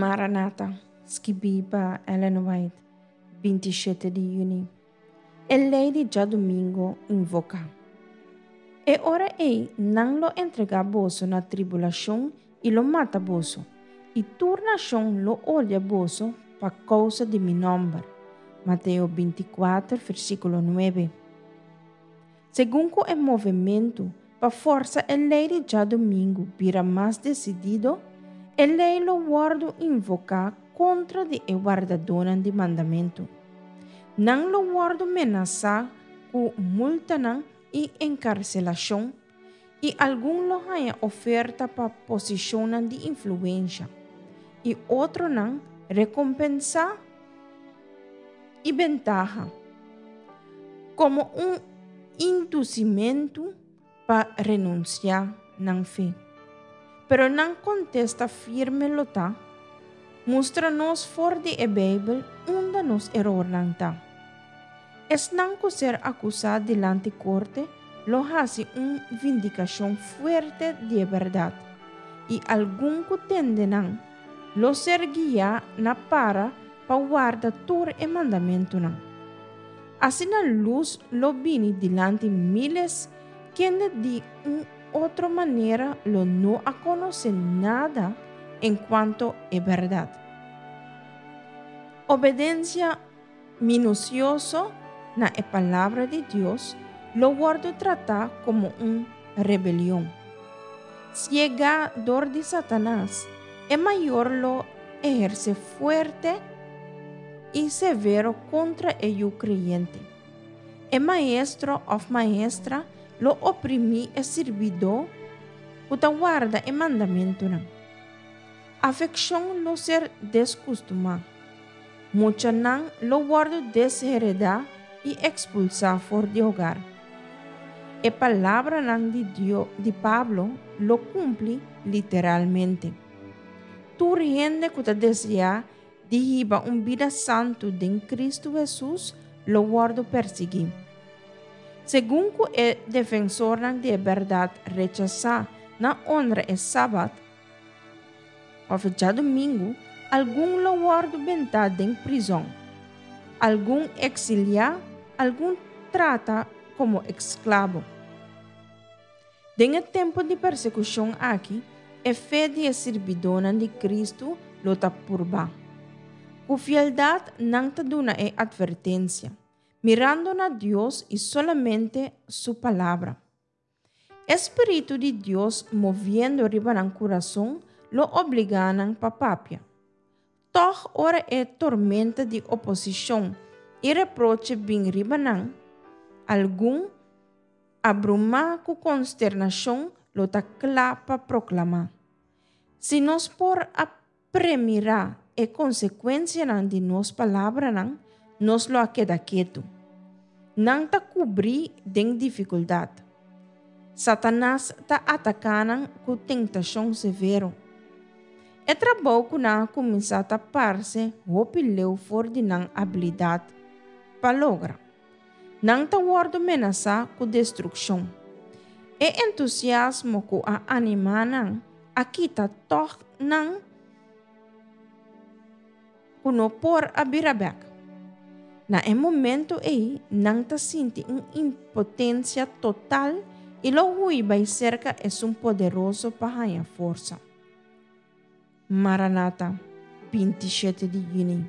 Maranata, skibí pa Ellen White, 27 di yüni. E lei di djadumingu invoká. E ora ei nan lo entregá boso na tribulashon i lo mata boso, i tur nashon lo odia boso pa kousa di mi nòmber. Mateo 24, versíkulo 9. Segun ku e movementu pa forsa e lei di djadumingu bira mas desidido, e lei lo wòrdu invoká kontra di e wardadónan di mandamentu. Nan lo wòrdu menasá ku multanan i enkarselashon, i algun lo haña oferta pa posishonnan di influensha, i otronan rekompensá i bentaha, komo un indusimentu pa renunsiá nan fe. Pero nan kontesta firme lo ta, Mustra nos for di e Beibel unda nos erornan ta. Esnan ku ser akusá dilanti korte lo hasi un vindikashon fuerte di e bèrdat, i algun ku tende nan lo ser guiá na para pa warda tur e mandamentunan. Asina lus lo bini dilanti míles kende di un otro manera lo no a konosé nada enkuanto e bèrdat. Obedensia minusioso na e Palabra di Dios lo wòrdu tratá komo un rebelion. Siegá dor di Satanas, e mayor lo ehersé fuerte i severo kontra e yu kreyente. E maestro òf maestra lo oprimí e sirbidó ku ta warda e mandamentunan. Afekshon lo ser deskustumá. Muchanan lo wòrdu desheredá i ekspulsá for di hogar. E palabranan di Dio di Pablo lo kumpli literalmente. Tur hende ku ta deseá di hiba un bida santu den Kristu Hesus lo wòrdu persiguí. Segun ku e defensornan di e bèrdat rechasá na onra e Sabat, òf djadumingu, algun lo wòrdu bentá den prizòn, algun eksiliá, algun trata komo esklabo. Den e tempu di persekushon aki, e fe di e sirbidónan di Kristu lo ta purbá. Ku fieldat nan ta duna e atvertensia, mirando na Dios i solamente Su Palabra. E spiritu di Dios moviendo riba nan kurason lo obligá nan pa papia. Tòg ora e tormenta di oposishon i reproche bin riba nan, algun, abrumá ku konsternashon lo ta kla pa proklamá, Si nos por a Premirá e konsekuensianan di nos palabranan, nos lo a keda ketu. Nan ta kubrí den difikuldat. Satanas ta ataká nan ku tentashon severo. E trabou ku nan a kuminsá ta parse hopi leu for di nan abilidat pa logra. Nan ta wòrdu menasá ku destrukshon. E entusiasmo ku a animá nan a kita tòg nan ku no por a bira bèk. Na e momento ei nan ta sinti un impotensia total i lo hui bai serka Esun Poderoso pa haña forsa. Maranata, 27 di yüni.